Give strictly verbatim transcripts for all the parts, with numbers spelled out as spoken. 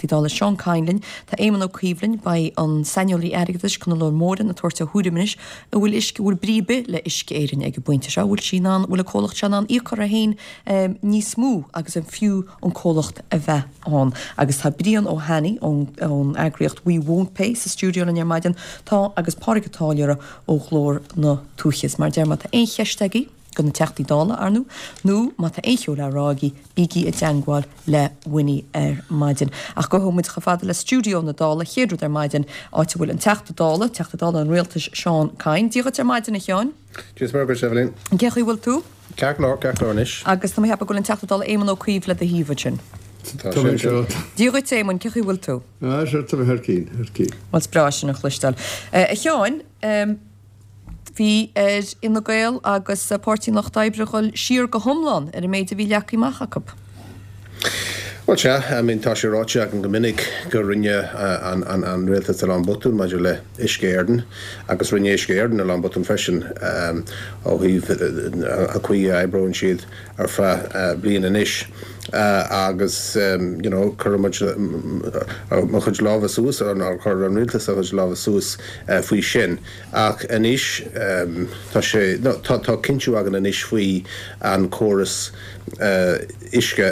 Dála Seán Kyne linn, tá Éamon Ó Cuív linn, beidh an saineolaí airgeadais Conall Ó Mórdha ag tabhairt a thuairim anois an bhfuil uisce bhfuil brí ar bith le Uisce Éireann ag an bpointe seo, bhfuil sí in ann bhfuil an comhlacht seo in ann íoc uirthi féin um, níos mó agus an fiú an comhlacht a bheith ann. Agus tá Brian Ó hAnnaidh ón, ón eagraíocht We Won't Pay sa stiúideo linn ar maidin tá agus Pádraig Ó Táilliúra ó Ghlór na Tuaithe. Mar deir má tá aon cheist agaibh do na Teachtaí Dála ar ndóigh, nó má tá aon cheo le rá agaibh bígí i dteagmháil le Winnie ar maidin. Ach gabhfaidh muid chomh fada le stiúideo na Dála chéad rud ar maidin áit a bhfuil an Teachta Dála, Teachta Dála an Rialtais Seán Kyne. Dia dhuit ar maidin a Sheáin. Dia is Evelyn. Cén chaoi bhfuil tú? Ceart go leor ceart go leor anois. Agus tá mé ag ceapadh go bhfuil an Teachta Dála Éamon Ó Cuív le do thaobh ansin. Dia dhuit Éamon, cén chaoi bhfuil tú? Ah, sé tá thar cinn thar cinn. Well breá sin a chloisteáil. A Sheáin, bhí ar Fhine Gael agus Páirtí an Lucht Oibre dhul siar go hiomlán ar an méid a bhí leagtha amach acu. Well sea, I mean tá sé ráite agam go minic go rinne an, an, an rialtas a lán botún maidir le Uisce Éireann agus rinne Uisce Éireann a lán botún freisin um, ó thaobh an chaoi a oibríonn siad ar feadh uh, bliain anois. Uh, agus um, you know, chuir muid mo chuid lámha suas ar chuir an rialtas a chuid lámha suas uh, faoi sin. Ach anois um, tá sé no, tá, tá cinntiú againn anois faoi an córas uh, uisce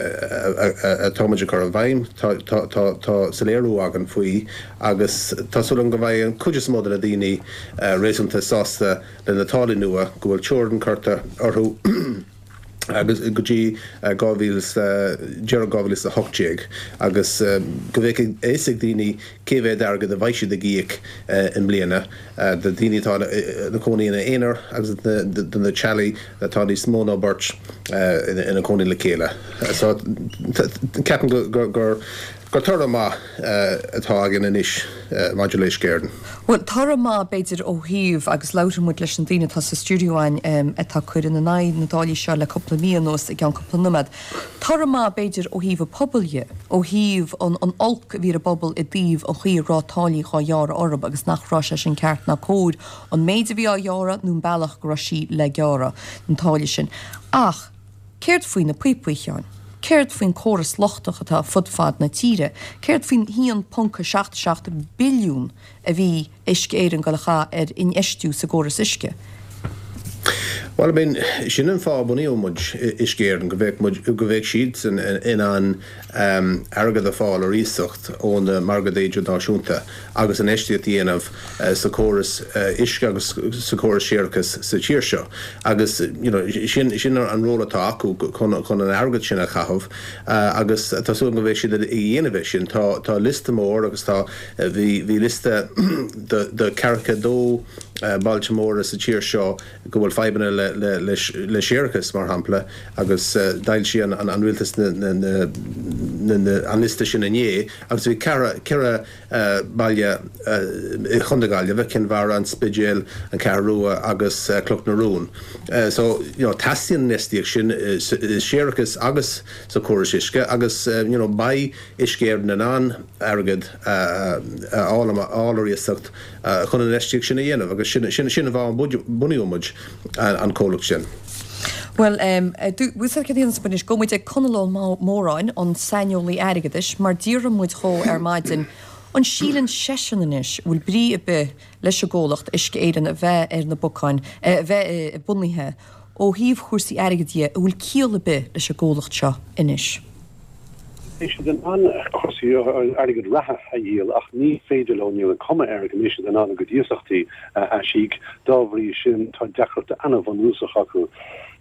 atá muid a chur i bhfeidhm tá, tá, tá, tá soiléiriú againn faoi agus tá súil agam go mbeidh an chuid is mó de na daoine uh, réasúnta sásta le na táillí nua go bhfuil teorainn curtha orthu agus go dtí dhá mhíle deireadh dhá mhíle a hocht déag agus go mbeidh a fhios ag daoine cé mhéad airgead a bheidh siad ag íoc i mbliana do daoine atá ina cónaí ina aonar agus do na teaghlaigh atá níos mó ná beirt ina cónaí le chéile. So ceapaim gur gur gur toradh maith atá againn anois maidir le Uisce Éireann. Well toradh maith b'fhéidir ó thaobh agus labhróidh muid leis an daoine atá sa stiúideo againn atá ag cur ina n-aghaidh na dtáillí seo le cúpla mí anuas i gceann cúpla nóiméad. Toradh maith b'fhéidir ó thaobh an phobail dhe, ó thaobh an an olc a bhí ar an bpobal i dtaobh an chaoi a raibh táillí dhá ghearradh orthu agus nach raibh sé sin ceart ná cóir an méid a bhí á ghearradh nó an bealach go raibh sí le gearradh an táille sin. Ach céard faoi na píopaí a Sheáin? Céard faoin córas lochtach atá fud fad na tíre? Céard faoin haon ponc seacht seacht billiún a bhí Uisce Éireann ag dul a chaitheamh ar infheistiú sa gcóras uisce? Well I mean sin an fáth a bunaíodh muid Uisce Éireann go bheadh muid go bheadh siad in ann um, airgead a fháil ar iasacht ó na margaí idirnáisiúnta agus infheistíocht a dhéanamh uh, sa chóras uh, uisce agus sa chóras séarachais sa tír seo. Agus you know, sin, sin an ról atá acu chun, chun an airgead sin a chaitheamh uh, agus tá súil go mbeidh siad ag déanamh sin tá, tá liosta mór agus tá bhí, bhí liosta de, de ceathracha dó uh, bailte móra sa tír seo go bhfuil fadhbanna le, le, le, le séarachas mar shampla agus uh, d'fhoilsigh an, an, an rialtas na, na, na, na, na, an liosta sin inné agus bhí ceithre uh, baile uh, Chontae na Gaillimhe, Cill Mhara, an Spidéal, an Cheathrú Rua agus uh, Cloch na Rón. Uh, so you know, teastaíonn infheistíocht sin uh, séarachas agus sa chóras uisce agus uh, you know, beidh Uisce Éireann in ann airgead uh, uh, fháil ar iasacht uh, chun an infheistíocht sin a dhéanamh agus sin sin sin an fáth a bunaíodh muid an, an comhlacht sin. Well um, bhuel gabhfaidh muid ag Conall Ó Móráin an saineolaí airgeadais mar d'iarr muid dhó ar maidin an síleann seisean anois bhfuil brí ar bith leis an gcomhlacht Uisce Éireann a bheith ar na bacáin a bheith bunaithe ó thaobh chúrsaí airgid dhe an bhfuil ciall ar bith leis an gcomhlacht seo anois. Tá siad in ann cúrsaí airgead reatha a dhíol ach ní féidir leo níl an cuma air go mbeidh siad in ann a gcuid iasachtaí a aisíoc dá bhrí sin tá deacracht an-bhunúsach acu.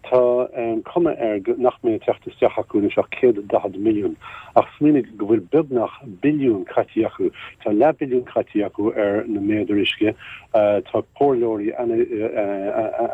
Tá um, cuma air nach mbeidh teacht isteach acu anois ach céad daichead milliún ach smaoinigh go bhfuil beagnach billiún caite acu Tá leathbhilliún caite acu ar na méadair uisce uh, tá comhairleoirí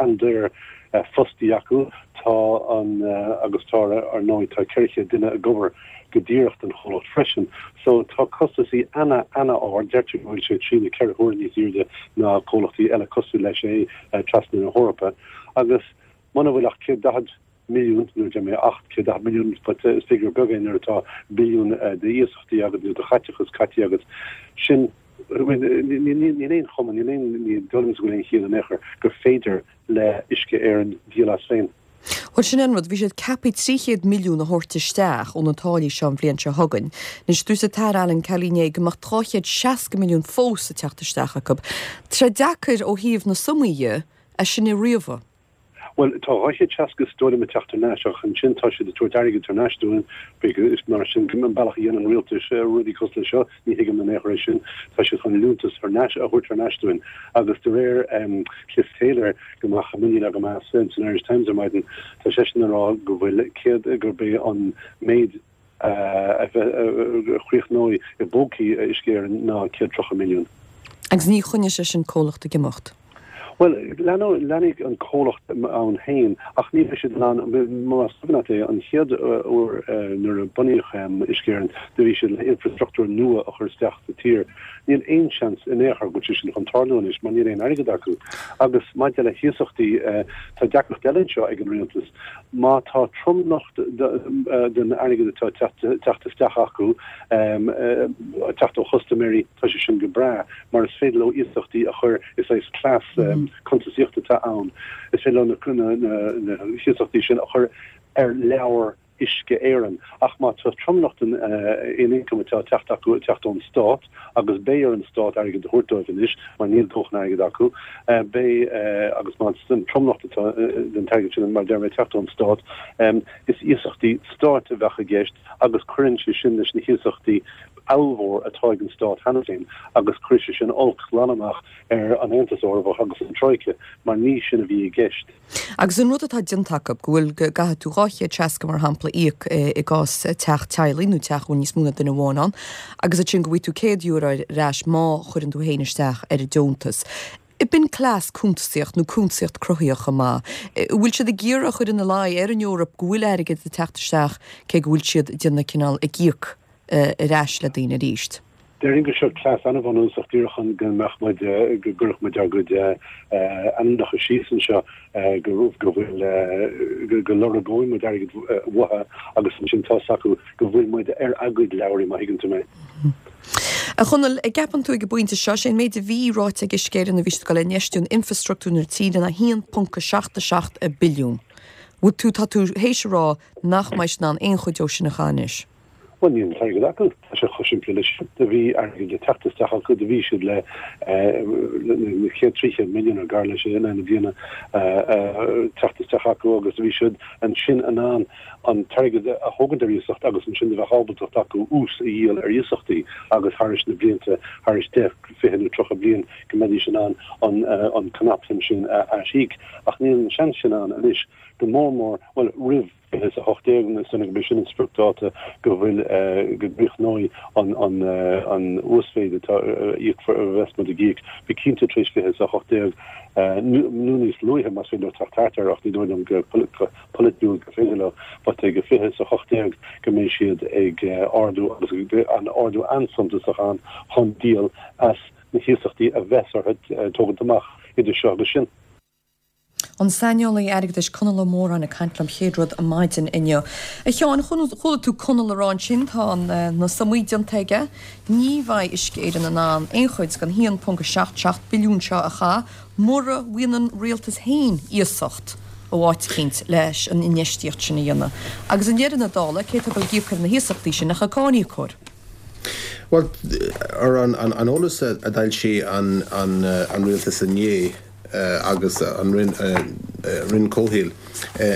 an-daor uh, fostaithe acu tá an uh, agus tá ar ndóigh tá ceithre duine ag obair go díreach don chomhlacht freisin. So tá costaisí ana ana ard deirtear go bhfuil sé trí nó ceithre huaire níos airde ná comhlachtaí eile cosúil leis é uh, trasna na hEorpa. Agus muna bhfuil ach céad daichead milliún nó de mé acht céad daichead milliún but is figiúr beag é nuair atá billiún de iasachtaí agus nó de chaiteachas caite agus sin níl aon chuma níl aon ní dóigh liom go bhfuil aon chiall in aon chor gur féidir le Uisce Éireann díol as féin. Bhuel, sin an rud, bhí siad ceaptha trí chéad milliún a thabhairt isteach ó na táillí seo an bhliain seo chugainn. Anois, dúirt an tAire Alan Kelly inné go mbeadh dhá chéad seasca milliún fós ag teacht isteach acu. Tá sé deacair ó thaobh na sumaí dhe é sin a ríomhadh. Bhuel, tá dhá chéad seasca is dóigh liom ag teacht thar n-ais ach ansin tá siad ag tabhairt airgid thar n-ais dúinn, is mar sin an bealach a dhéanann an rialtas rudaí cosúil le seo, ní thuigim in aon chor é sin, tá siad chun liúntas thar n-ais a thabhairt thar n-ais dúinn agus de réir Cliff Taylor, go mbeadh muinín agam as, san Irish Times ar maidin, tá seisean ag rá go bhfuil céad, gurb é an méid a chríochnóidh i bpócaí Uisce Éireann ná céad tríocha milliún. Agus ní choinneoidh sé sin comhlacht ag imeacht. Bhuel, leanfaidh an comhlacht ann féin ach ní bheidh siad in ann, más cuimhin leat é, an chéad uair nuair a bunaíodh Uisce Éireann do bhí siad le infreastruchtúr nua a chur isteach sa tír. Níl aon seans in aon chor go bhfuil sé sin chun tarlú anois mar níl aon airgead acu. Agus maidir le hiasachtaí, tá deacracht eile anseo ag an rialtas. Má tá tromlach den airgead atá ag teacht isteach acu ag teacht ó chustaiméirí, tá sé sin go breá mar is féidir leo iasachtaí a chur, is saghas cleas cuntasaíochta atá ann, is féidir leo na hiasachtaí sin a chur ar leabhar Uisce Éireann. Ach má tá tromlach den ioncam atá ag teacht acu ag teacht ón Stát, agus beidh ar an Stát airgead a thabhairt dóibh anois mar níl dóthain airgid acu, beidh, agus má tá an tromlach den t-airgead sin, mar a deir mé, ag teacht ón Stát, is iasachtaí Stáit a bheadh i gceist agus cuireann sé sin leis na hiasachtaí ollmhór atá ag an Stát cheana féin agus cuirfidh sé sin olc glan amach ar an Aontas Eorpach agus an Troika mar ní sin a bhí i gceist. Agus an rud atá déanta acu, go bhfuil, go gcaithfidh tú dhá chéad seasca mar shampla íoc i gcás teach teaghlaigh nó teach a bhfuil níos mó ná duine amháin ann agus ansin go bhfaighidh tú céad euro ar ais má chuireann tú féin isteach ar an deontas. B'in cleas cuntasaíocht nó cuntasaíocht cruthaíoch chomh maith. An bhfuil siad ag iarraidh a chur ina luí ar an Eoraip go bhfuil airgead ag teacht isteach cé go bhfuil siad ag déanamh cineál ag íoc ar ais le daoine arís? Déarfainn gur seo cleas an-bhunúsach díreach chun go mbeadh muid, go gcuirfeadh muid ár gcuid ainmneacha síos anseo, go bhfuil, go lorgóidh muid airgead uathu agus ansin tá's acu go bhfuil muid ar a gcuid leabhraí, má thuigeann tú mé. A Chonaill, an gceapann tú ag an bpointe seo, sé an méid a bhí ráite ag Uisce Éireann a bhí siad ag dul a infheistiú in infreastruchtúr na tíre ná a haon ponc a seacht a seacht billiún. Bhfuil tú, tá tú théis a rá nach mbeidh siad in ann aon chuid dó sin a chaitheamh anois? Bhuel, níl an t-airgead acu. Tá sé chomh simplí leis sin. Do bhí airgead le teacht isteach acu, do bhí siad le na chéad trí chéad milliún nó gar leis in aghaidh na bliana teacht isteach acu agus do bhí siad ansin in ann an t-airgead a thógaint ar iasacht agus ansin do bheadh ábaltacht acu ús a dhíol ar iasachtaí agus thairis na blianta, thairis deich, fiche nó tríocha bliain go mbeidís in ann an cnapshuim sin a aisíoc. Ach níl an seans sin ann anois, go mór mór, bhuel, roimh. fiche is a hocht déag, is dóigh liom gurb é sin an spriocdháta go bhfuil, go gcríochnóidh an an uasmhéid atá a íocfar, a bheas muid ag íoc, bí cinnte tar éis fiche is a hocht déag nó níos luaithe más féidir leo teacht thart air ach ní dóigh liom go polaitiúil gur féidir leo, but ag fiche is a hocht déag go mbeidh siad ag ardú agus an ardú an-suntasach ann chun díol as na hiasachtaí a bheas orthu tógaint amach idir seo agus sin. An saineolaí airgeadais Conall Ó Móráin ag caint liom chéad rud maidin inniu. A Sheáin, chuala tú Conall ag rá ansin, tá na sumaí déanta aige, ní bheidh Uisce Éireann in ann aon chuid den haon ponc a seacht seacht billiún seo a chaitheamh mura bhfaigheann an rialtas féin iasacht ó áit eicínt leis an infheistíocht sin a dhéanamh. Agus i ndeireadh na dála, cé atá ag dul ag íoc ar na hiasachtaí sin ach an cáiníocóir? Bhuel, ar an eolas a d'fhoilsigh an rialtas inné, agus an Roinn Comhshaoil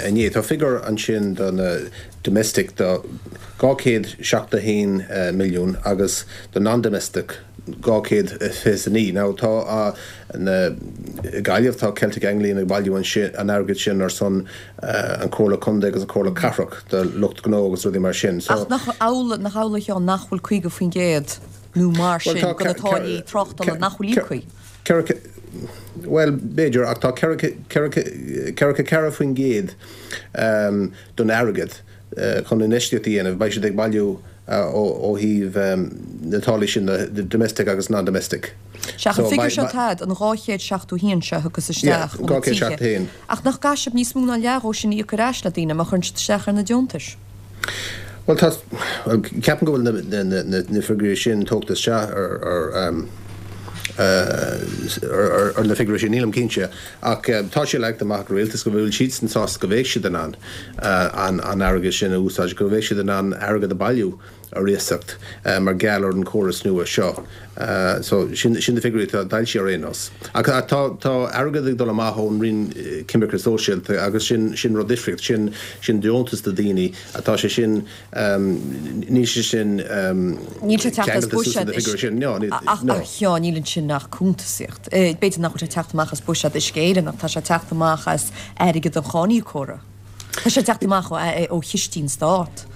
inné. Tá figiúr ansin do na domestic do dhá chéad seachtó haon milliún agus do non-domestic dhá chéad fiche is a naoi. Now tá na i Gaillimh tá Celtic Anglian ag bailiú an airgid sin ar son an Comhairle Contae agus an Comhairle Cathrach do lucht gnó agus rudaí mar sin. So Ach nach amhlaidh nach amhlaidh a Sheáin nach bhfuil caoga faoin gcéad nó mar sin de na táillí tráchtála nach bhfuil íoctha? Ceithre, bhuel, b'fhéidir, ach tá ceithre, ceithre, ceathracha ceathair faoin gcéad don airgead chun infheistíocht a dhéanamh. Beidh siad ag bailiú ó thaobh na táillí sin, na domestic agus non-domestic. Sea, ach an figiúr seo atá a'd, an dhá chéad seachtó haon seo a thiocfas isteach ó na tithe, ach nach gcaithfidh sibh níos mó ná leath dhó sin a íoc ar ais le daoine má chuireann siad isteach ar na deontais? Bhuel, tá, ceapaim go bhfuil na figiúirí sin tógtha isteach ar, ar, ar na figiúirí sin, nílim cinnte, ach tá sé leagtha amach ag an rialtas go bhfuil siadsan sásta go mbeidh siad in ann an airgead sin a úsáid, go mbeidh siad in ann airgead a bhailiú ar iasacht mar gheall ar an chóras nua seo. So sin na figiúirí atá d'fhoilsithe ar aon nós. Ach tá tá airgead ag dul amach ón Roinn Coimirce Sóisialta agus sin sin rud difríocht, sin sin deontas do daoine atá sé sin níl sé sin Níl sé teacht as buiséad ach a Sheáin, níl ansin ach cuntasaíocht. B'fhéidir nach bhfuil sé teacht amach as buiséad Uisce Éireann ach tá sé teacht amach as airgead an cháiníocóra. Tá sé teacht amach ó chistí an Stát.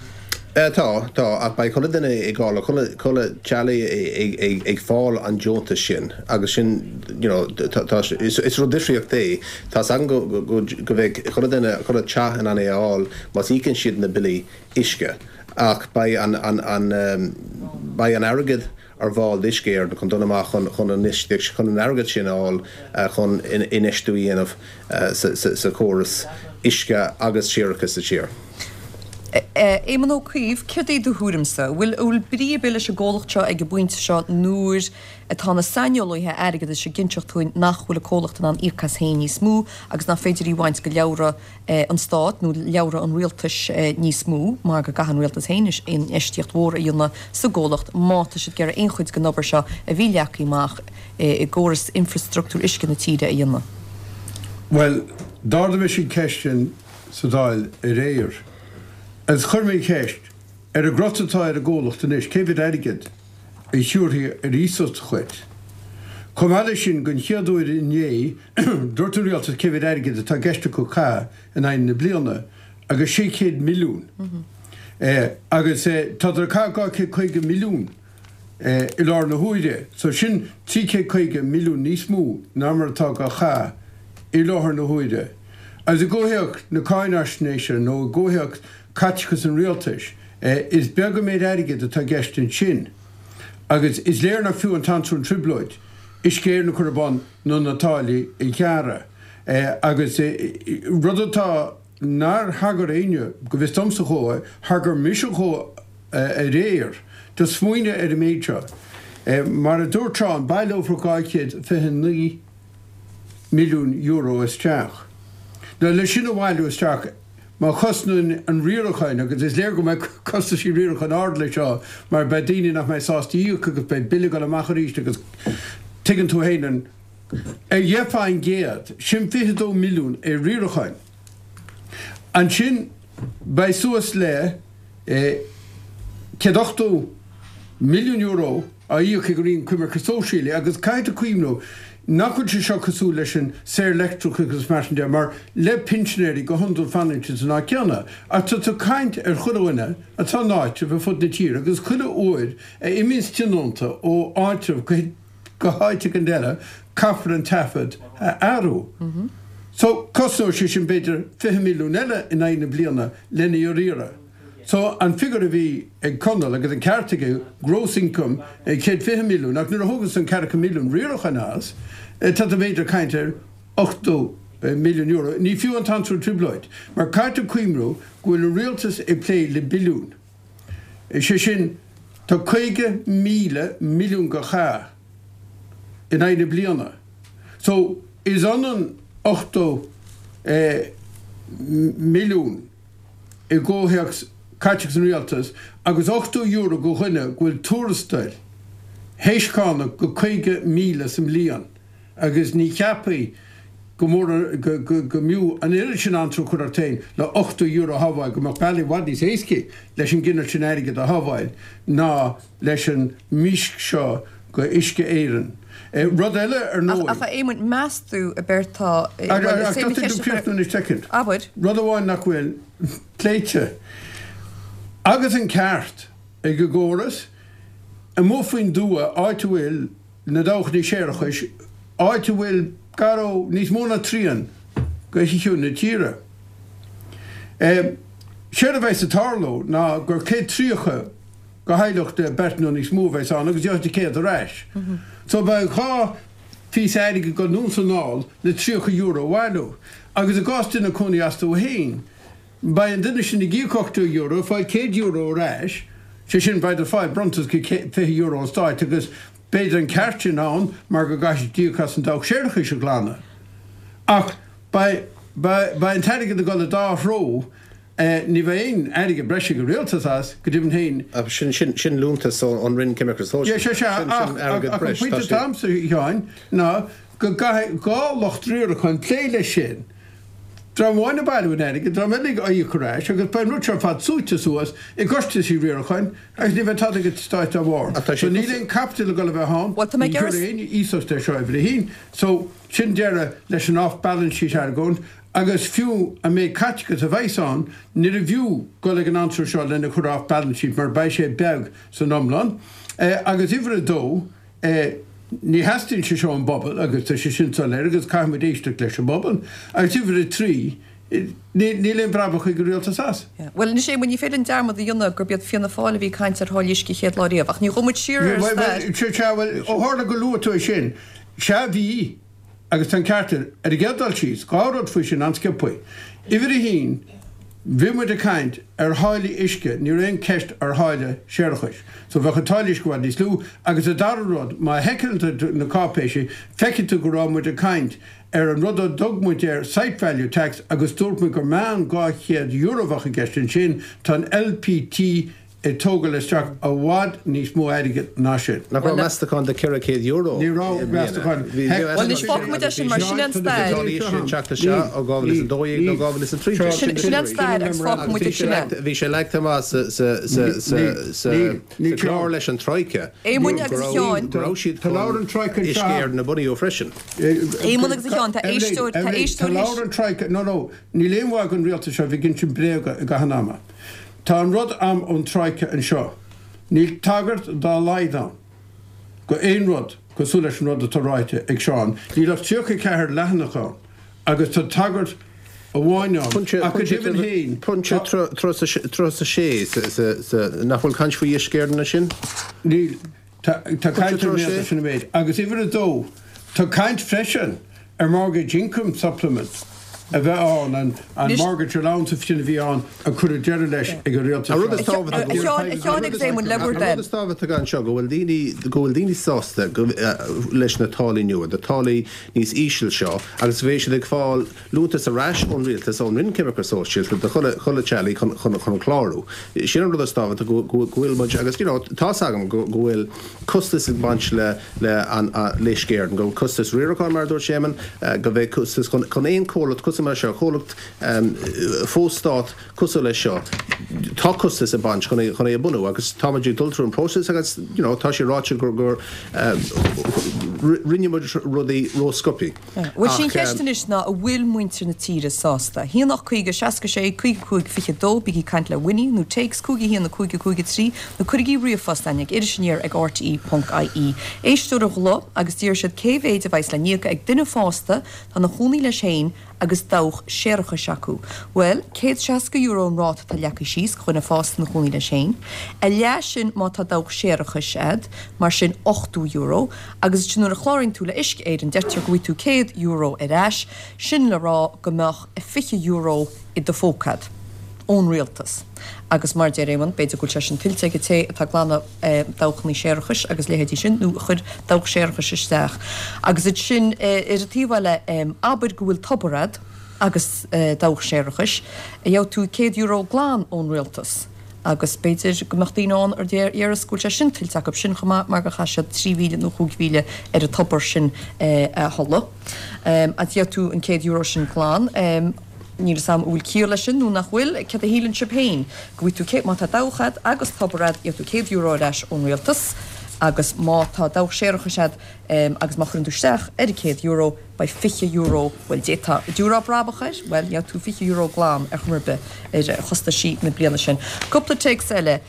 Tá, tá, ach beidh chuile duine ag fáil, chuile, chuile teaghlach ag fáil an deontas sin agus sin, you know, tá, is, is rud difríocht é. Tá's agam go, go, go mbeidh chuile duine, chuile teach in ann é a fháil más íocann siad na billí uisce ach beidh an, an, an, beidh an airgead ar fáil d'Uisce Éireann chun dul amach chun, chun an, chun an airgead sin a fháil chun infheistiú a dhéanamh sa, sa, sa chóras uisce agus séarachais sa tír. Éamon Ó Cuív, céard é do thuairimse? An bhfuil, bhfuil brí ar bith leis an gcomhlacht seo ag an bpointe seo nuair atá na saineolaithe airgeadais ag inseacht dúinn nach bhfuil an comhlacht in ann íoc as féin níos mó agus nach féidir í a bhaint de leabhra an Stáit nó leabhra an rialtais níos mó mar go gcaithfidh an rialtas féin infheistíocht mhór a dhéanamh sa gcomhlacht má tá siad ag iarraidh aon chuid den obair seo a bhí leagtha amach i gcóras infreastruchtúr uisce na tíre a dhéanamh? Bhuel, d'ardaigh mise an cheist sin sa Dáil aréir. Agus chuir mé an cheist, ar an gcrot atá ar an gcomhlacht anois, cé mhéad airgead a thabharfaí ar iasacht dhuit? Chomh maith leis sin, den chéad uair inné, dúirt an rialtas cé mhéad airgead atá i gceist acu a chaitheamh in aghaidh na bliana, agus sé chéad milliún. Agus tádar ag caitheamh dhá chéad caoga milliún i láthair na huaire. So sin trí chéad caoga milliún níos mó ná mar atá á chaitheamh i láthair na huaire. Agus i gcomhthéacs na cáinaisnéise nó i gcomhthéacs caiteachas an rialtais, is beag an méid airgid atá i gceist ansin. Agus is léir nach fiú an t-anró an trioblóid Uisce Éireann a chur ar bun nó na táillí a ghearradh. Agus rud atá nár thagair éinne, go bhfios domsa, dhó, thagair mise dhó aréir, do smaoineamh ar an méid seo. Mar a dúirt Seán, baileofar dhá chéad fiche naoi milliún euro isteach. Now leis sin a bhailiú isteach, má chosnaíonn an riaracháin, agus is léir go mbeidh costaisí riaracháin ard leis seo mar beidh daoine nach mbeidh sásta íoc agus beidh bille ag dul amach arís agus tuigeann tú féin an ar dheich faoin gcéad, sin fiche dó milliún ar riaracháin. Ansin beidh suas le céad ochtó milliún euro á íoc ag an Roinn Coimirce Sóisialaí agus caithfidh tú cuimhniú nach bhfuil sé seo cosúil leis an saor-leictreachas agus mar sin de mar le pinsinéirí go hiondúil fanann siad san áit céanna ach tá tú ag caint ar chuile dhuine atá in áitreabh ar fud na tíre agus chuile uair a imíonns tionónta ó áitreabh go go háit éigin eile caithfear an taifead a athrú. So cosnóidh sé sin b'fhéidir fiche milliún eile in aghaidh na bliana lena riaradh. So an figiúr a bhí ag Conall, agus an ceart aige, gross income céad fiche milliún, ach nuair a thóganns an ceathracha milliún riaracháin as, tá tú b'fhéidir ag caint ar ochtó milliún euro. Ní fiú an t-anró an trioblóid, mar caithfidh tú cuimhniú go bhfuil an rialtas ag plé le billiún. Sé sin, tá caoga míle milliún á chaitheamh in aghaidh na bliana. So, is ionann ochtó milliún. i gcomhthéacs caiteachas an rialtais agus ochtó euro go dhuine go bhfuil tuarastail théis cánach go caoga míle sa mbliain agus ní cheapfaí go mór go go mb'fhiú an oiread sin anró a chur ort féin le ochtó euro a shábháil go mbeadh bealaí i bhfad níos éascaí leis an gcineál sin airgid a shábháil ná leis an mísc seo go Uisce Éireann. Rud eile ar ndóigh. Ach a Éamoinn, meas tú a Bertha, bhuel, is é mo cheist a chur. Abair. Rud amháin nach bhfuil pléite, agus an ceart ag an gcóras, amuigh faoin dtuath, áit a bhfuil na dabhchannaí séarachais, áit a bhfuil gar ó níos mó ná trian de chríoch na tíre. Séard a bheas ag tarlú ná gur céad tríocha go theaghlach de beirt nó níos mó a bheas ann agus gheobhaidh tú céad ar ais. So beidh dhá phíosa airgid ag dul anonn is anall le tríocha euro a bhailiú. Agus i gcás duine cónaí astu féin, beidh an duine sin ag íoc ochtó euro, ag fáil céad euro ar ais, sé sin beidh ag fáil bronntas go fiche euro ón stáit agus B'fhéidir an ceart sin ann mar go gcaithfidh siad íoc as an dabhach séarachais a ghlanadh. Ach beidh an t-airgead ag dul i dá threo, ní bheidh aon airgead breise ag an rialtas as, go deimhin féin. Sin sin liúntas ón Roinn Coimirce Sóisialta. Sea, sea, ach an pointe atá a'msa, a Sheáin, ná go gcaithfidh dhá lucht riaracháin plé leis sin. Dream amháin ag bailiú an airgid, dream eile ag íoc ar ais agus beidh an rud seo ar fad súite suas i gcostaisí riaracháin agus ní bheidh tada ag an Stát dá bharr. So níl aon caipiteal ag dul a bheith ann, Bhuel, tá mé ní ag iarraidh. thiúrfaidh éinne iasacht air seo uimhir a haon. So sin deireadh leis an off balance sheet argóint agus fiú an méid caiteachas a bheas ann, níorbh fhiú dul ag an answer seo lena chur off balance sheet mar beidh sé beag san iomlán. Agus uimhir a dó, Ní theastaíonn sé seo ón bpobal agus tá sé sin soiléir agus caithfidh muid éisteacht leis an bpobal. Agus uimhir a trí, níl aon bhrabach ag an rialtas as. Bhuel, anois Éamoinn, ní féidir linn dearmad a dhéanamh gurb iad Fianna Fáil a bhí ag caint ar tháillí uisce chéad lá riamh, ach ní ghabhfaidh muid siar ar an stair. Bhuel, sea, bhuel, ó tharla gur luaigh tú é sin, sea, bhí. Agus tá an ceart air. Ar an gcéad dul síos, dhá rud faoi sin an-sciobtha. Uimhir a haon, bhí muid ag caint ar tháillí uisce, ní raibh aon cheist ar tháille séarachais. So bheadh an táille uisce i bhfad níos lú. Agus an dara rud, má sheiceálann tú na cáipéisí, feicfidh tú go raibh muid ag caint ar an rud a dtug muid air site value tax agus dúirt muid gur meán dhá chéad euro a bheadh i gceist ansin. Tá an LPT ag tógáil isteach i bhfad níos mó airgid ná sin. Nach raibh meastachán de ceithre chéad euro Ní raibh meastachán. Bhuel, anois fágfaidh muid é sin mar sin an stair. Bhí sé teacht isteach ó dhá mhíle is a dó dhéag nó dhá mhíle is a trí déag. Sin an stair agus fágfaidh muid é sin é. Bhí sé leagtha amach sa chlár leis an Troika. Éamoinn agus a Sheáin. Go raibh siad chun Uisce Éireann a bhunú freisin. Éamonn agus a Sheáin, tá éisteoir, tá éisteoir Tá leabhar an Troika, no, no, níl aon mhaith don rialtas seo bheith ag insint bréaga i gcaitheamh an ama. Tá an rud a'm ón Troika anseo. Níl tagairt dá laghad ann go aon rud cosúil leis an rud atá ráite ag Seán. Níl ach tríocha a ceathair leathanach ann agus tá tagairt amháin ann ach go deimhin féin Pointe tá. tríocha a sé nach bhfuil caint faoi Uisce Éireann ansin? Níl. Tá caint ar an méad sin an méid. Agus uimhir a dó, tá caint freisin ar mortgage income supplement a bheith ann, an Anois. mortgage allowance sin a bhí ann a cuireadh deireadh leis ag an rialtas An rud seo. is tábhachtaí A Sheáin, a Sheáin agus Éamoinn, le bhur An rud dtoil. is tábhachtaí anseo go bhfuil daoine, go bhfuil daoine sásta go, leis na táillí nua, na táillí níos íseal seo agus bheidh siad ag fáil liúntas ar ais ón rialtas, ón Roinn Coimirce Sóisialta do chuile, chuile teaghlaigh chun, chun, chun clárú. Sin an rud is tábhachtaí go, go, go bhfuil muid agus you know tá's agam go, go bhfuil costas ag baint le, le an, le Uisce Éireann, go bhfuil costas riaracháin mar a dúirt Séamonn, go mbeidh costas chun, chun aon comhlacht cosúil mar seo, comhlacht fo-stát cosúil leis seo, tá costas ag baint chun é, chun é a bhunú agus táimid ag dul trú an próiseas agus you know tá sé ráite gur, gur rinne muid rudaí ró-sciobtha. Bhuel, sin ceist anois ná an bhfuil muintir na tíre sásta? haon ocht caoga seasca sé caoga cúig fiche dó, bígí ag caint le Winnie nó téacs cúig a haon a cúig a cúig a trí nó cuirigí ríomhphost chugainn ag Iris Aniar ag rte ponc ie. Éisteoir a ghlaoigh agus d'iarr siad cé mhéid a bheas le n-íoc ag duine fásta atá ina chónaí leis féin agus dabhach séarachais acu. Bhuel, céad seasca euro an ráta atá leagtha síos do dhuine fásta ina chónaí leis féin. A leath sin má tá dabhach séarachais a'd, mar sin ochtó euro, agus ansin nuair a chláraíonn tú le Uisce Éireann deirtear go bhfaighidh tú céad euro ar ais, sin le rá go mbeadh fiche euro i do phóca a'd. Ón rialtas. Agus mar a deir Éamonn, b'fhéidir go bhfuil sé sin tuillte ag an té atá ag glanadh dabhchannaí séarachais agus leithéidí sin, nó a chuir dabhach séarachais isteach. Agus ansin ar an taobh eile, abair go bhfuil tobar a'd agus dabhach séarachais, gheobhaidh tú céad euro glan ón rialtas. Agus b'fhéidir go mbeadh daoine ann a déarfas go bhfuil sé sin tuillte acu sin chomh maith mar gur chaith siad trí mhíle nó chúig mhíle ar an tobar sin a tholladh. Agus gheobhaidh tú an céad euro sin glan. Níl fhios a'm an bhfuil ciall leis sin nó nach bhfuil. Céard a shíleann sibh féin? Go bhfaighidh tú céad, má tá dabhach a'd agus tobar a'd, gheobhaidh tú céad euro ar ais ón rialtas agus má tá dabhach séarachais a'd agus má chuireann tú isteach ar an céad euro, beidh fiche euro, bhuel d'fhéadfá, dtabharfá brabach air? Bhuel, gheobhaidh tú fiche euro glan ar chuma ar bith ar chostaisí na bliana sin. Cúpla téacs eile.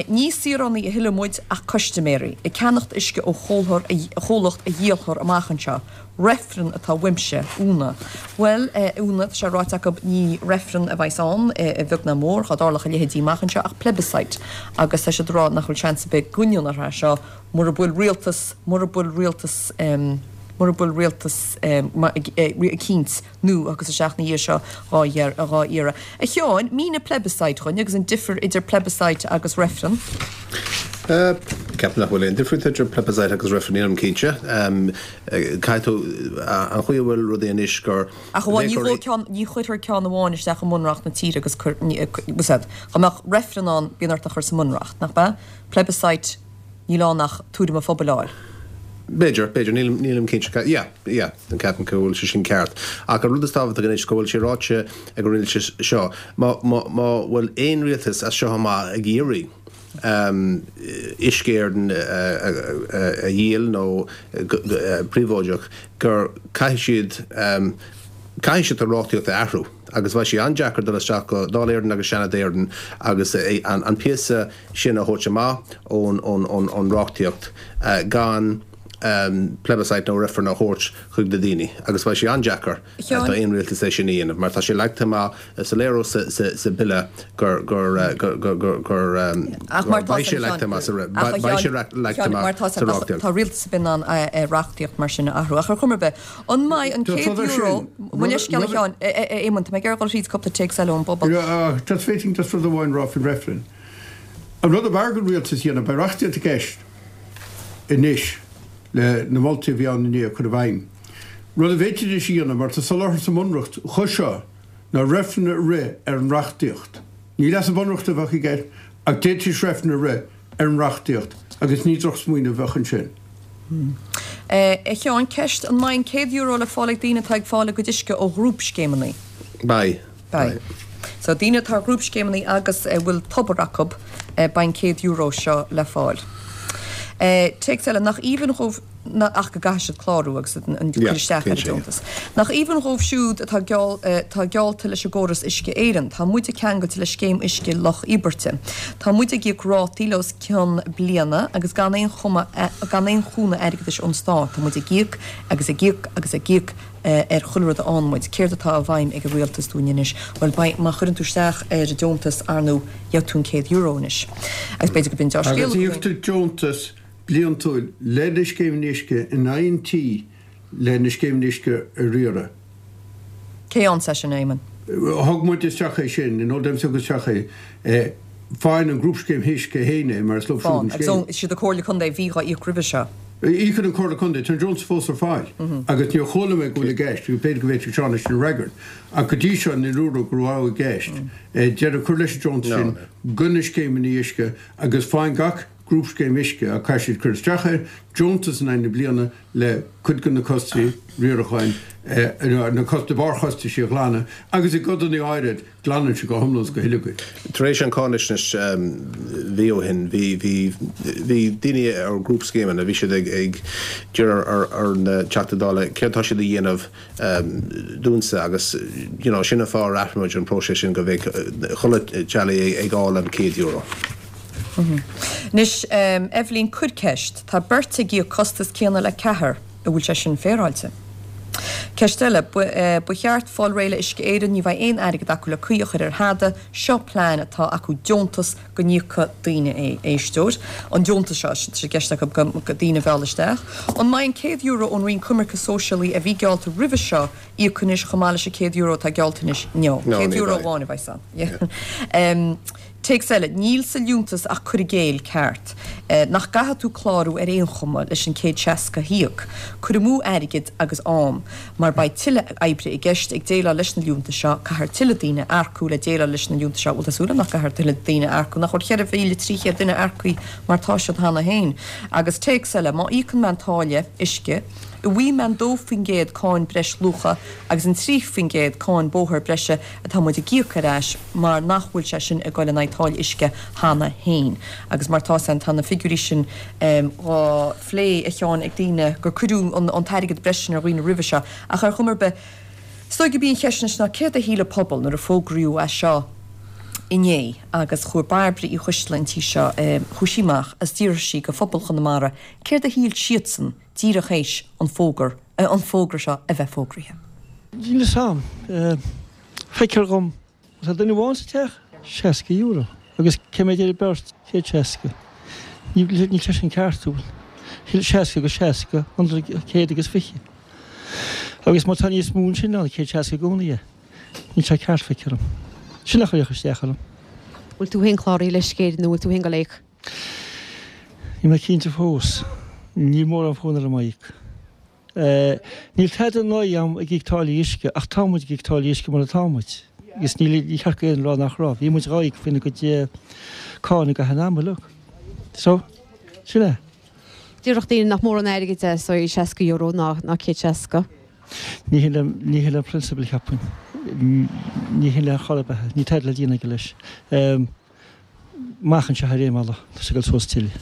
Ní saoránaigh a thuilleadh muid ach custaiméirí, ag ceannacht uisce ó chomhlacht a dhíolfar amach anseo. Reifreann atá uaimse, Úna. Bhuel, a Úna, tá sé ráite acu ní reifreann a bheas ann, a bheag ná mór, dhá dtarlódh a leithéidí amach anseo, ach plebiscite. Agus tá siad ag rá nach bhfuil seans ar bith go ndéanfar é seo mura bhfuil rialtas, mura bhfuil rialtas, mura bhfuil rialtas eicínt nua agus isteach ina dhiaidh seo dhá iarraidh. A Sheáin, mínigh plebiscite dhúinn agus an difear idir plebiscite agus reifreann. Ceapaim nach bhfuil aon difríocht idir plebiscite agus reifreann, nílim cinnte. Caithfidh tú, an chaoi a bhfuil rudaí anois gur. Ach amháin ní bhfuil ceann, ní chuirtear ceann amháin isteach i mBunreacht na tíre agus cur, bhfuil a fhios agat, dá mbeadh reifreann ann bíonn ort é a chur sa mBunreacht, nach ea? Plebiscite, níl ann ach tuairim an phobail a fháil. B'fhéidir, b'fhéidir, nílim, nílim cinnte. Yeah, yeah, ceapaim go bhfuil sé sin ceart. Ach an rud is tábhachtaí anois go bhfuil sé ráite ag an rialtas seo, má, má, má bhfuil aon rialtas as seo amach ag iarraidh Uisce Éireann a dhíol nó príobháideach, gur caithfidh siad, caithfidh siad an reachtaíocht a athrú agus bheidh sé an-deacair dul isteach go Dáil Éireann agus Seanad Éireann agus an píosa sin a thabhairt amach ón reachtaíocht gan plebiscite nó reifreann a thabhairt chuig na daoine agus bheidh sé an-deacair do aon rialtas é sin a dhéanamh mar tá sé leagtha amach soiléir sa bille gur gur gur gur beidh sé leagtha amach sa beidh sé leagtha amach sa reachtaíocht. Tá rialtas ar bith in ann reachtaíocht mar sin a athrú ach ar chuma ar bith, an mbeidh an céad euro, mo leithscéal a Sheáin, a Éamoinn, tá mé ag iarraidh dul thríd cúpla téacs eile ón bpobal. Just féadfainn just rud amháin a rá faoin reifreann. An rud ab fhearr don rialtas a dhéanamh, beidh reachtaíocht i gceist anois le na moltaí a bhí ann inné a chur i bhfeidhm. Rud a bhféadfaidís a dhéanamh, mar tá soláthar sa mBunreacht dho seo, ná reifreann a rith ar an reachtaíocht. Ní leasú bunreachta a bheadh i gceist, ach d'fhéadfaidís reifreann a rith ar an reachtaíocht agus ní drochsmaoineamh a bheadh ansin. A Sheáin, ceist, an mbeidh an céad euro le fáil ag daoine atá ag fáil a gcuid uisce ó ghrúpscéimeanna? Beidh. Beidh. So, daoine atá ar ghrúpscéimeanna agus a bhfuil tobar acu, beidh an céad euro seo le fáil. Téacs eile, nach aoibhinn dhóibh, ach go gcaithfidh siad clárú agus an cur isteach ar an deontas. Nach aoibhinn dhóibh siúd atá atá geallta leis an gcóras Uisce Éireann. Tá muide ceangailte le scéim uisce Loch Íobairte. Tá muide ag íoc rátaí le os cionn bliana agus gan aon chuma gan aon chúnamh airgeadais ón stát. Tá muid ag íoc agus ag íoc agus ag íoc ar chuile rud a fhaigheann muid. Céard atá i bhfeidhm ag an rialtas dúinn anois? Bhuel, beidh, má chuireann tú isteach ar an deontas, ar ndóigh, gheobhaidh tú an céad euro anois. Agus b'fhéidir go b'in deá-scéal Agus íoctar deontas bliantúil le na scéimeanna uisce in aghaidh an tí le na scéimeanna uisce a riaradh. Cé ann é sin, a Éamoinn? Thug muid isteach é sin, in Old Dempsey thug isteach é. Faigheann an Grúpscéim Uisce féin é mar is leo siúd an Fán. scéim. Agus is iad an Comhairle Contae a bhí dhá íoc roimhe seo. Íocann an Comhairle Contae, tá an deontas fós ar fáil agus níor chuala mé go bhfuil i gceist, agus b'fhéidir go bhféadfadh Seán é sin a fhreagairt, ach go dtí seo níor dúradh go raibh i gceist deireadh a chur leis an deontas sin do na scéimeanna uisce agus faigheann gach grúpscéim uisce, ach caithfidh siad cur isteach air, deontas in aghaidh na bliana le cuid de na costais riaracháin, na barrchostais a ghlanadh agus i gcodanna áirid glanann sé go hiomlán is go huile iad. Tar éis an cáinaisnéis mhí ó shin, bhí bhí bhí daoine ar ghrúpscéimeanna, bhí siad ag ag iarraidh ar na Teachtaí Dála céard tá siad a dhéanamh dúinse agus you know sin an fáth ar athraigh muid an próiseas sin go mbeidh chuile teaghlach ag fháil an céad euro. Anois, Eibhlín, cuir ceist. Tá beirt ag íoc costas céanna le ceathrar, an bhfuil sé sin féaráilte? Ceist eile, ba cheart fáil réidh le Uisce Éireann, ní bheidh aon airgead acu le caoi a chur ar thada, seo plean atá acu deontas go n-íocadh daoine é. Éisteoir, an deontas seo, tá sé i gceist acu go daoine a mhealladh isteach. An mbeidh an céad euro ón Roinn Coimirce Sóisialaí a bhí geallta roimhe seo íoctha anois chomh maith leis an céad euro atá geallta anois? No, céad euro amháin a bheidh ann. Téacs eile, Níl sa liúntas ach cur i gcéill ceart. Nach gcaithfidh tú clárú ar aon chuma leis an céad seasca a híoc. Cur amú airgid agus am. Mar beidh tuilleadh oibre i gceist ag déileáil leis na liúntais seo, caithfear tuilleadh daoine a earcú le déileáil leis na liúntais seo. Bhuel tá súil agam nach gcaithfear tuilleadh daoine a earcú, nach bhfuil cheithre mhíle trí chéad duine earcaithe mar tá siad cheana féin. Agus téacs eile, Má íocann mé an táille uisce, an bhfaighidh mé an dó faoin gcéad cáin breis luacha agus an trí faoin gcéad cáin bóthair breise atá muid ag íoc ar ais mar nach bhfuil sé sin ag goil in aghaidh táille uisce cheana féin. Agus mar tá san, tá na figiúirí sin dhá phlé, a Sheáin, ag daoine gur cuireadh an t-airgead breise sin ar dhaoine roimhe seo. Ach ar chuma ar bith, is dóigh gurb í an cheist anois ná céard a shíl an pobal nuair a fógraíodh é seo inné agus chuaigh Bairbre Uí Choisteala an tí seo, chuaigh sí amach agus d'fhiafraigh sí de phobal Chonamara céard a shíl siadsan díreach théis an fógra, an fógra seo a bheith fógraithe. Níl fhios a'm. Feictear dhom, má tá duine amháin sa teach, seasca euro. Agus cé mhéad ar an beirt? Céad seasca. Níl sé sin ceart, an bhfuil? Seasca agus seasca, céad agus fiche. Agus má tá níos mó ansin ná céad seasca i gcónaí é. Níl sé ceart, feictear dhom. Sin a chuirfeadh isteach orm. Bhfuil tú féin cláraithe le Uisce Éireann nó bhfuil tú féin ag dul a íoc? Níl mé cinnte fós. Níl mórán fonn orm a íoc. Níl tada in aghaidh am ag íoc táillí uisce ach tá muid ag íoc táillí uisce mar atá muid. Agus níl ní cheart go aon rá nach raibh. Bhí muid dhá íoc faoina gcuid cáin i gcaitheamh an ama uilig. So, sin é. Déarfadh daoine nach mór an airgead é so seasca euro ná ná céad seasca. Ní hin le ní hin le prionsabal cheapfainn. Ní hin le chor ar bith. Níl tada le déanamh aige leis. Amach anseo ar aon bhealach, tá sé ag dul suas tuilleadh.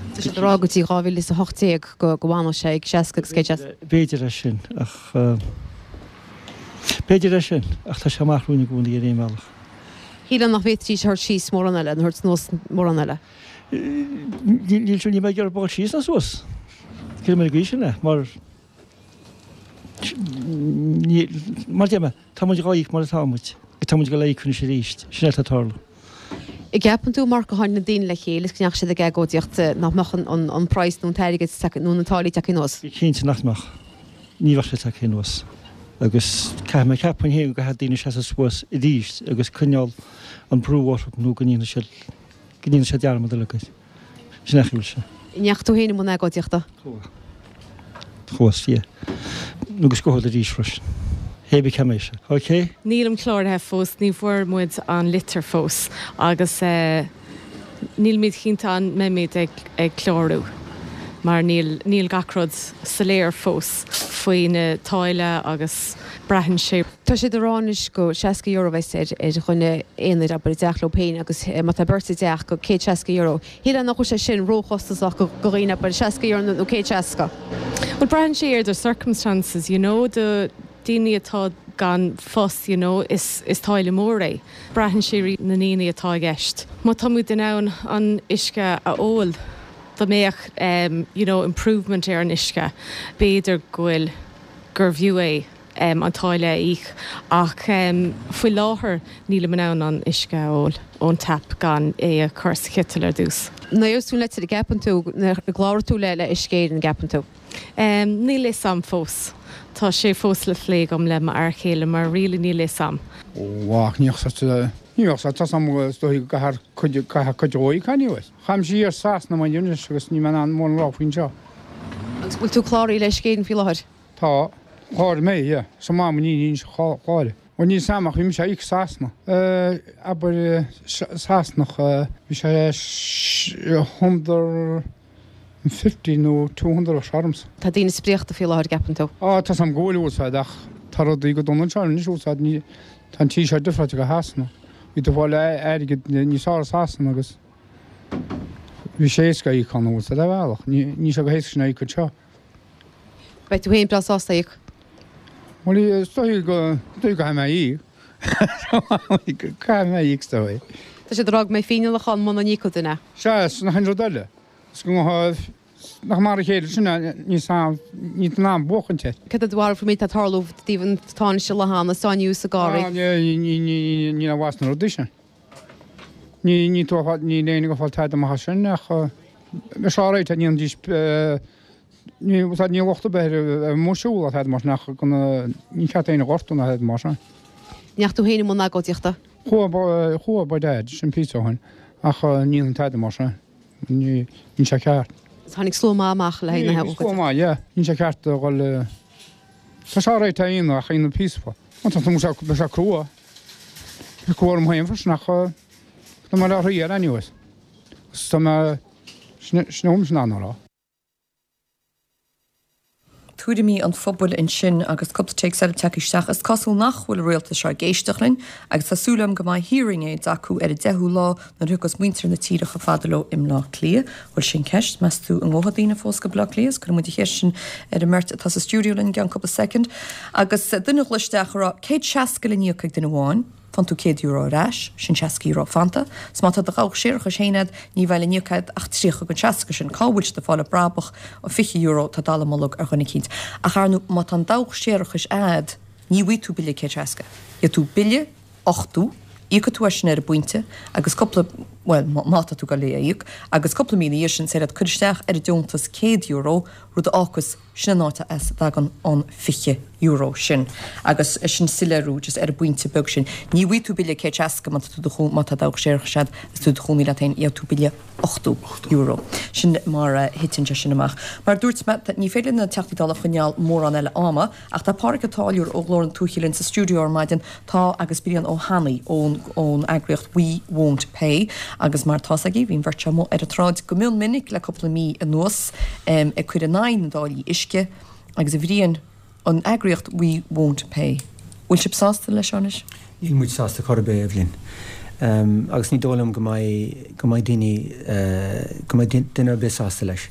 Tá siad ag rá go dtí dhá mhíle is a hocht déag go go bhfanfadh sé ag seasca agus céad seasca. B'fhéidir é sin ach b'fhéidir é sin ach tá sé amach romhainn i gcónaí ar aon bhealach. Shílfeá nach bhféadfaidís a thabhairt síos mórán eile, nó a thabhairt anuas mórán eile. Níl níl mé ag iarraidh dul síos ná suas. Cé mé go sin é mar mar deir mé, tá muid dhá íoc mar atá muid. Tá muid ag dul a íoc anois arís. Sin é atá ag tarlú. An gceapann tú mar gur tháinig na daoine le chéile is go ndeachaigh siad ag agóidíocht nach mbeadh an praghas nó an t-airgead nó na táillí tagtha anuas? Bí cinnte nach mbeadh. Ní bheadh sé tagtha anuas. Agus caithfidh mé ceapaim féin go gcaithfidh daoine seasamh suas arís agus coinneáil an brú orthu nó go ndéanfaidh siad go ndéanfaidh siad dearmad uilig air. Sin é a bhfuil sé. An ndeachaigh tú féin i mbun agóidíochta? Chuaigh. Chuas, yeah. Agus gabhfaidh arís freisin. Hé bí cé sé. Ok? Nílim cláraithe fós, ní bhfuair muid an litir fós agus nílimid cinnte an mbeimid ag ag clárú mar níl níl gach rud soiléir fós faoi na táille agus braitheann sé. Tá siad ag rá anois go seasca euro bheas ar ar dhuine aonair abair i dteach leo féin agus má tá beirt i dteach go céad seasca euro. Shílfeá nach bhfuil sé sin róchostasach go go dhaoine abair seasca euro nó céad seasca. Well braitheann sé ar the circumstances, you know, do daoine atá gan post, you know, is is táille mór é. Braitheann sé ar na ndaoine atá i gceist. Má tá muid in ann an uisce a ól, dá mbeadh um, you know, improvement ar an uisce, b'fhéidir go bhfuil gur bhfiú é um, an táille a íoc ach um, faoi láthair nílim in ann an uisce a ól ón tap gan é a chur sa chiteal ar dtús. Nuair a tú litir an gceapann tú gcláróidh tú le le Uisce Éireann an gceapann tú. Um, níl a fhios a'm fós. Tá sé fós le plé agam le m'fhear céile mar really níl a fhios a'm. Ó ní ní tá sam dóigh gahar chuid chuid óí cainíos. Cham sí ar sas na mai agus ní an mó lá faoin seo. Agus bhfuil tú cláraithe le Uisce Éireann faoi láthair? Tá chláir mé sa má ní cháile. O ní samach bhí sé ag Sasana. Abair Sasanach bhí sé hundred fifty nó two hundred a searms. Tá daoine spréachta faoi láthair gceapann tú? Á tá sam ggóil úsáid ach tá rudaí go dona anseo anois úsáid ní tá an tí seo difriúil go Shasana. Bhí tú fáil airgead níos fearr i Sasana agus bhí sé éasca íoc ann úsáid a bhealach. Ní sé go héasca sin íoc anseo. Beidh tú féin breá sásta íoc? Bhuel is dóigh go dóigh go mé íoc. Caithfidh mé íoc is dóigh. Tá siad ag rá go mbeidh fíneálacha ann muna n-íocfadh duine. Sea, is nach an rud eile. Is go nach mar a chéile sin ní ní an am buachaint air. Cad é do bharúil faoin méid atá ag tarlú i dtaobh an tánaiste Loughan is sáinniú sa gcarraig? Ní ní bhas na rudaí sin. Ní ní tú ní léine go fáil tada amach as sin ach bheadh sé alright ní an dís ní ní locht ar bith ar mo siúl a mar sin ach ní ceart aon ghortú ná tada mar sin. Ndeachaigh tú féin i mbun agóidíochta? Chuaigh chuaigh ba dad sin píosa ó shin ach ní an tada mar sin. Ní ní sé ceart. Tháinig slua maith amach le haghaidh na Slua maith, yeah. Ní sé ceart a dhul Tá sé alright a aon ach aon peaceful. Tá tá sé crua. Crua orm féin freisin ach tá mé le thrí ar anyways. Tá mé sin sin an rá. Tuairimí an phobail ansin agus cúpla téacs eile tagtha isteach. Is cosúil nach bhfuil an rialtas seo ag éisteacht linn agus tá súil agam go mbeidh hearing aids acu ar an deichiú lá nuair a thiocfas muintir na tíre chomh fada leo i mBleá Cliath. Bhuel sin ceist, meas tú an ngabhfaidh daoine fós go Bleá Cliath? Is cuirfidh muid an cheist sin ar an mbeirt atá sa stiúideo linn i gceann cúpla soicind. Agus duine a ghlaoigh isteach a rá céad seasca le n-íoc ag duine amháin. Faigheann tú céad euro ar ais, sin seasca euro fanta. 'S má tá do dhabhach séarachais féin agat, ní bheidh le n-íoc agat ach tríocha den seasca sin. Cá bhfuil siad ag fáil an brabach ó fiche euro atá dallamullóg ar dhuine eicínt. Ach ar ndú, má tá an dabhach séarachais agat, ní bhfaighidh tú bille céad seasca. Gheobhaidh tú bille ochtó, íocfaidh tú é sin ar an bpointe, agus cúpla, bhuel, má tá tú ag dul é a íoc, agus cúpla mí ina dhiaidh sin, is féidir leat cur isteach ar an deontas céad euro, rud rud a fhágas sin an áit as a dtagann an fiche euro sin. Agus sin soiléiriú just ar an bpointe beag sin. Ní bhfaighidh tú bille céad seasca má tá tú do chó má tá do séarachas agus tú i do chónaí leat féin, gheobhaidh tú bille ochtó euro. Sin mar a thiteann sé sin amach. Mar a dúirt mé, ní féidir linn na Teachtaí Dála a choinneáil mórán eile ama, ach tá Pádraig Ó Táilliúir ó Ghlór na Tuaithe linn sa stiúideo ar maidin, tá agus Brian Ó hAnnaidh ón ón eagraíocht We Won't Pay agus mar atá 's agaibh, bhí an bheirt seo amuigh ar an tsráid go mion minic le cúpla mí anuas ag cur in aghaidh na dtáillí uisce agus a Bhriain, an eagraíocht We Won't Pay. Bhfuil sibh sásta leis seo anois? Níl muid sásta chor ar bith, Eibhlín. Agus ní dóigh liom go mbeidh, go mbeidh daoine, go mbeidh duine ar bith sásta leis.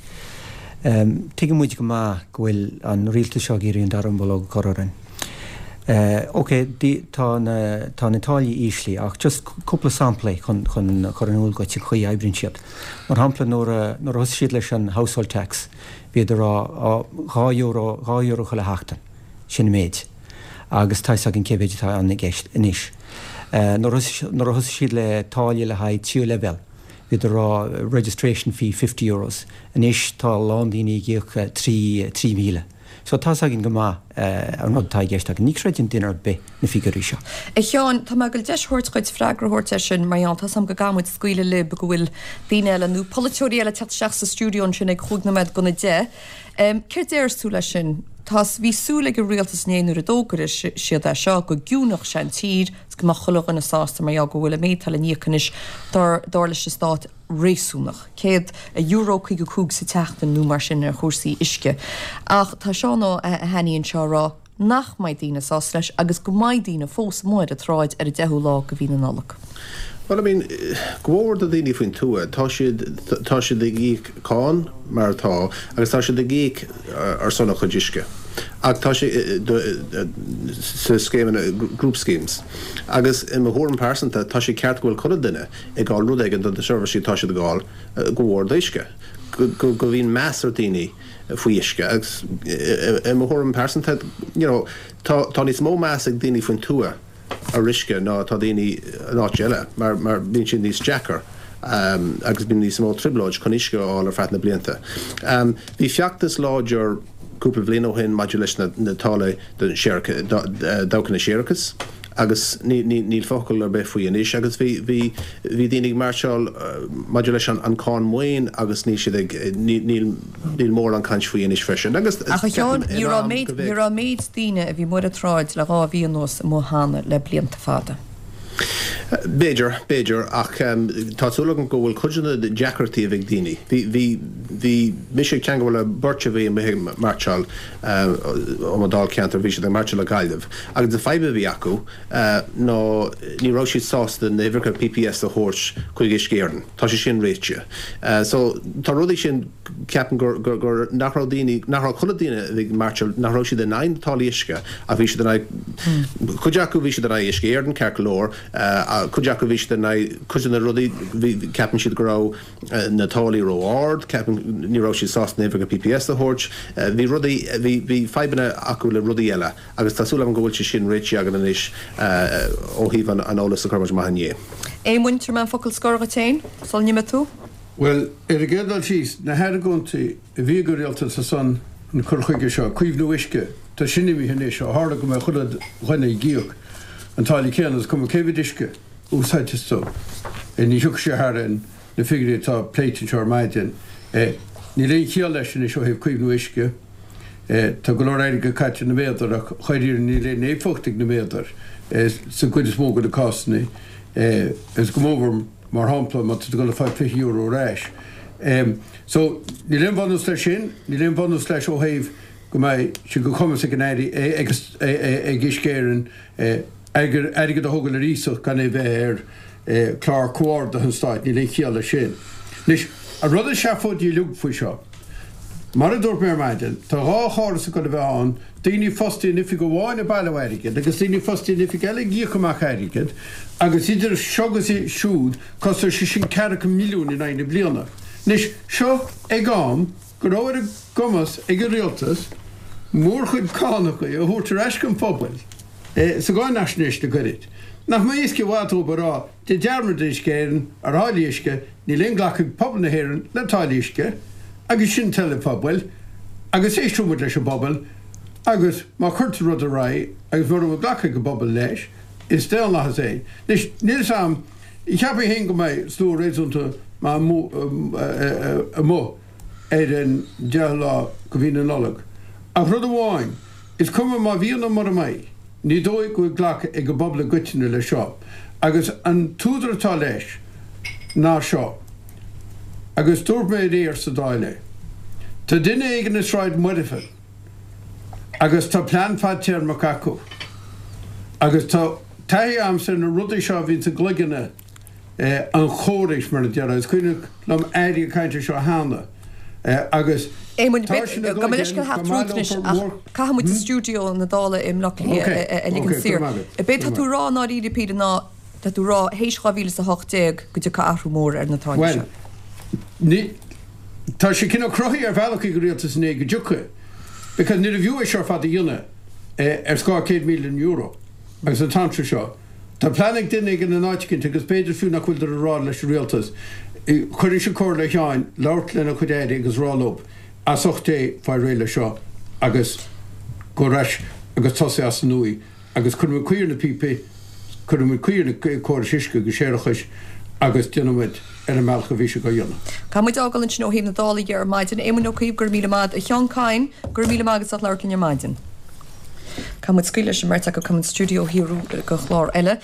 Tuigeann muid go maith go bhfuil an rialtas seo ag iarraidh an dallamullóg a chur orainn. Ok, tá na, tá na táillí íslí ach just cúpla samplaí chun, chun chur in iúl dhuit an chaoi a oibríonn siad. Mar shampla nuair a, nuair a thosaigh siad leis an household tax, bhíodar ag rá, á, dhá euro, dhá euro chuile sheachtain, sin an méid. Agus tá 'fhios againn cé mhéid atá ann i gceist anois. Nuair a thosaigh siad le táille le haghaidh tríú leibhéal, bhíodar ag rá registration fee fifty euros. Anois tá a lán daoine ag íoc trí, trí mhíle. So tá 'fhios againn go maith an rud atá i gceist againn. Ní chreideann duine ar bith na figiúirí seo. A Sheáin, tá mé ag goil deis a thabhairt dhuit freagra a thabhairt air sin mar gheall, tá 's agam go gcaithfidh muid scaoileadh libh go bhfuil daoine eile nó polaiteoirí eile ag teacht isteach sa stiúideo ansin ag chúig nóiméad gona deich. Céard déarfas tú leis sin? Tá, bhí súil ag an rialtas inné nuair a d'fhógair siad é seo go gciúnódh sé an tír is go mbeadh chuile dhuine sásta mar gheall go bhfuil an méid atá le n-íoc anois dar dar leis an stát réasúnach, céad euro caoga cúig sa tseachtain nó mar sin ar chúrsaí uisce. Ach tá Seán Ó hAnnaidh anseo ag rá nach mbeidh daoine sásta leis agus go mbeidh daoine fós amuigh ar an tsráid ar an deichiú lá de mhí na Nollag. Bhuel, I mean, go mór do dhaoine faoin tuath, tá siad, tá siad ag íoc cáin mar atá agus tá siad ag íoc ar son a chuid uisce. Ach tá sé sa scéimeanna, group schemes. Agus i mo thuairim pearsanta, tá sé ceart go bhfuil chuile duine ag fháil rud éigin do na seirbhísí atá siad ag fháil, go mhór d'uisce. Go, go, go bhíonn meas ar daoine faoi uisce agus i mo thuairim pearsanta, you know, tá, tá níos mó meas ag daoine faoin tuath ar uisce ná atá daoine in áit eile mar mar bíonn sé níos deacair agus bíonn níos mó trioblóid chun uisce a fháil ar feadh na blianta. Bhí feachtas láidir cúpla bliain ó shin maidir leis na na táillí don dabhchanna séarachais agus ní ní níl focal ar bith faoi anois agus bhí bhí bhí daoine ag mairseáil maidir leis an an cáin maoin agus níl siad ag ní níl níl mórán caint faoi anois freisin agus Ach a Sheáin, ceapaim ní in raibh am méid go ní bheadh. raibh méid daoine a bhí amuigh ar an tsráid le dhá mhí anuas amuigh cheana le blianta fada. B'fhéidir, b'fhéidir, ach tá súil agam go bhfuil cuid de na deacrachtaí a bhí ag daoine. Bhí, bhí, bhí mise ag teangmháil le beirt a bhí amuigh ag mairseáil ó mo dháilcheantar, bhí siad ag mairseáil le Gaillimh, agus an fadhb a bhí acu ná ní raibh siad sásta na huimhreacha PPS a thabhairt chuig Uisce Éireann. Tá sé sin réitithe. So tá rudaí sin, ceapaim gur, gur, gur, nach raibh daoine, nach raibh chuile duine a bhí ag mairseáil, nach raibh siad in aghaidh na táillí uisce ach bhí siad in aghaidh, cuid acu bhí siad in aghaidh Uisce Éireann ceart go leor, cuid acu bhí siad in aghaidh cuid de na rudaí, bhí, ceapann siad go raibh na táillí ró-ard, ceapann, ní raibh siad sásta na huimhreacha PPS a thabhairt, bhí rudaí, bhí, bhí fadhbanna acu le rudaí eile agus tá súil agam go bhfuil sé sin réitithe againn anois ó thaobh an, an eolas a chuir muid amach inné. Éamoinn, tabharfaidh mé an focal scoir dhuit féin sula n-imeoidh tú. Bhuel, ar an gcéad dul síos, na hargóintí a bhí ag an rialtas ar son an cur chuige seo, caomhnú uisce, tá sin imithe anois ó tharla go mbeidh chuile dhuine ag íoc an táille céanna, is cuma cé mhéad uisce a úsáideas tú. Ní thiocfaidh sé thar na figiúirí atá pléite anseo ar maidin. Níl aon chiall leis anois ó thaobh caomhnú uisce. Tá go leor airgead caite ar na méadair ach dháiríre níl aon éifeacht ag na méadair sa gcuid is mó de na cásanna agus go mór Mar shampla, má tá tú ag dul ag fáil fiche euro ar ais. So, níl aon bhunús leis sin, níl aon bhunús leis ó thaobh go mbeidh sé de chumas ag an Aire, ag Uisce Éireann, airgead a thógáil ar iasacht gan é bheith ar chlár comhardaithe an Stáit, níl aon chiall leis sin. Anois, an rud is seafóidí uilig faoi seo, mar a dúirt mé ar maidin, tá dhá chóras ag dul a bheith ann, daoine fostaithe in oifig amháin ag bailiú airgid agus daoine fostaithe in oifig eile ag íoc amach airgid agus idir seo agus siúd cosnóidh sé sin ceathracha milliún in aghaidh na bliana. Anois, seo ag am go raibh ar a gcumas ag an rialtas mórchuid cánacha a thabhairt ar ais don phobal sa gcáinaisnéis le gairid. Nach mbeadh éasca i bhfad dóibh a rá, déan dearmad d'Uisce Éireann ar tháillí uisce, níl aon ghlacadh ag pobal na hÉireann le táillí uisce agus sin toil an phobail. Agus éistfidh muid leis an bpobal agus má chuirtear rud ar aghaidh agus mura bhfuil glactha ag an bpobal leis, is daonlathas é. Anois, níl 'fhios a'm, cheapfainn féin go mbeidh slua réasúnta maith amuigh ar an deichiú lá de mhí na Nollag. Ach rud amháin, is cuma má bhíonn nó mura mbeidh, ní dóigh go bhfuil glactha ag an bpobal i gcoitinne leis seo. Agus an t-údar atá leis ná seo. Agus dúirt mé aréir sa Dáil é. Tá duine éigin i Sráid Muirfean agus tá plean fadtéarmach acu. Agus tá taithí a'msa ar na rudaí seo a bhíonns i gcloigne an chórais, mar a déarfá. Is cuimhin liom airí ag caint air seo cheana agus Éamoinn, tá sin i gabh mo leithscéal gcloigeann theacht go tríot maith anois leo ach mór. caithfidh muid stiúideo na Dála i mBleá Cliath a ligean saor. B'é tá tú a rá i ndáiríre píre ná Tá tú ag rá, théis dhá mhíle is a hocht déag, go dtiocfaidh athrú mór ar na táillí Bhuel, seo. ní, tá sé cineál cruthaithe ar bhealach ag an rialtas inné go dtiocfaidh, because níorbh fhiú é seo ar fad a dhéanamh ar scáth céad milliún euro agus an t-am seo, tá plean ag duine éigin in áit eicínt agus b'fhéidir fiú nach bhfuiltear ag rá leis an rialtas, chuirfinnse comhairle ar Sheáin labhairt lena chuid airí agus rá leo, as ucht Dé, faigh réidh leis seo agus gabh ar ais agus tosaigh as an nua. agus cuirfidh muid caoi ar na píopaí, cuirfidh muid caoi ar na córais uisce agus séarachais agus déanfaidh muid ar an mbealach a bhí sé á dhéanamh. Caithfidh muid fhágáil ansin ó thaobh na Dála dhe ar maidin. Éamon Ó Cuív, go raibh míle maith agat. A Sheáin Kyne, go raibh míle maith agat as labhairt linn ar maidin. Caithfidh muid scaoileadh leis an mbeirt acu, caithfidh muid stiúideo a shaorú do chlár eile.